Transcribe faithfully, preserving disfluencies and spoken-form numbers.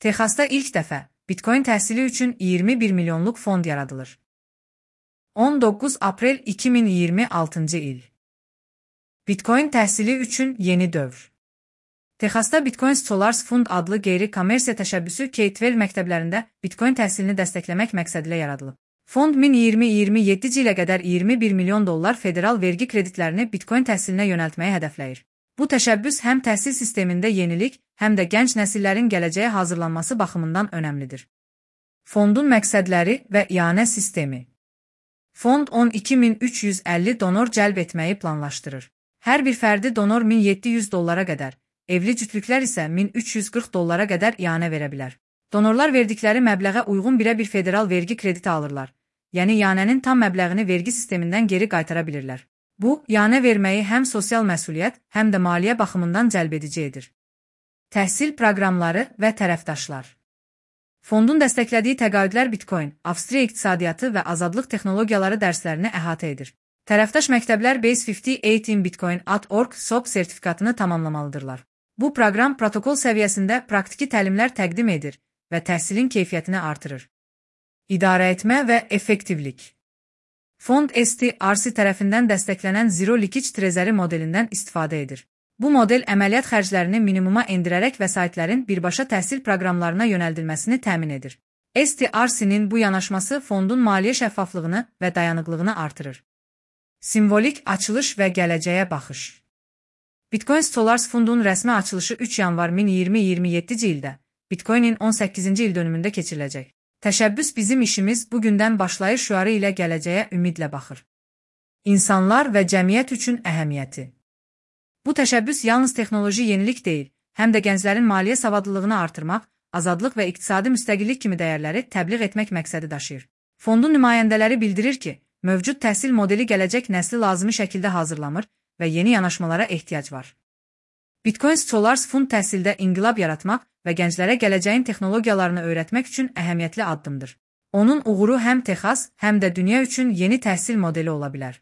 Texasda ilk dəfə Bitcoin təhsili üçün iyirmi bir milyonluq fond yaradılır. on doqquz aprel iki min iyirmi altıncı il. Bitcoin təhsili üçün yeni dövr. Texasda Bitcoin Scholars Fund adlı qeyri-kommersiya təşəbbüsü K on iki məktəblərində Bitcoin təhsilini dəstəkləmək məqsədilə yaradılıb. Fond min iyirmi iyirmi yeddinci ilə qədər iyirmi bir milyon dollar federal vergi kreditlərini Bitcoin təhsilinə yönəltməyi hədəfləyir. Bu təşəbbüs həm təhsil sistemində yenilik, həm də gənc nəsillərin gələcəyə hazırlanması baxımından önəmlidir. Fondun məqsədləri və ianə sistemi. Fond on iki min üç yüz əlli donor cəlb etməyi planlaşdırır. Hər bir fərdi donor min yeddi yüz dollara qədər, evli cütlüklər isə min üç yüz qırx dollara qədər ianə verə bilər. Donorlar verdikləri məbləğə uyğun birə bir federal vergi krediti alırlar, yəni ianənin tam məbləğini vergi sistemindən geri qaytara bilirlər. Bu, ianə verməyi həm sosial məsuliyyət, həm də maliyyə baxımından cəlbedici edir. Təhsil proqramları və tərəfdaşlar. Fondun dəstəklədiyi təqaüdlər Bitcoin, Avstriya iqtisadiyyatı və azadlıq texnologiyaları dərslərini əhatə edir. Tərəfdaş məktəblər Base əlli osem in bitcoin dot org S O B sertifikatını tamamlamalıdırlar. Bu proqram protokol səviyyəsində praktiki təlimlər təqdim edir və təhsilin keyfiyyətini artırır. İdarə etmə və effektivlik. Fond S T R C tərəfindən dəstəklənən Zero Leakage Treasury modelindən istifadə edir. Bu model əməliyyat xərclərini minimuma endirərək vəsaitlərin birbaşa təhsil proqramlarına yönəldilməsini təmin edir. S T R C-nin bu yanaşması fondun maliyyə şəffaflığını və dayanıqlığını artırır. Simvolik açılış və gələcəyə baxış. Bitcoin Scholars Fundun rəsmi açılışı üç yanvar min iyirmi iyirmi yeddinci ildə, Bitcoinin on səkkizinci il dönümündə keçiriləcək. Təşəbbüs bizim işimiz bugündən başlayır şüarı ilə gələcəyə ümidlə baxır. İnsanlar və cəmiyyət üçün əhəmiyyəti. Bu təşəbbüs yalnız texnoloji yenilik deyil, həm də gənclərin maliyyə savadlılığını artırmaq, azadlıq və iqtisadi müstəqillik kimi dəyərləri təbliğ etmək məqsədi daşıyır. Fondun nümayəndələri bildirir ki, mövcud təhsil modeli gələcək nəsli lazımi şəkildə hazırlamır və yeni yanaşmalara ehtiyac var. Bitcoin Scholars Fund təhsildə inqilab yaratmaq və gənclərə gələcəyin texnologiyalarını öyrətmək üçün əhəmiyyətli addımdır. Onun uğuru həm Texas, həm də dünya üçün yeni təhsil modeli ola bilər.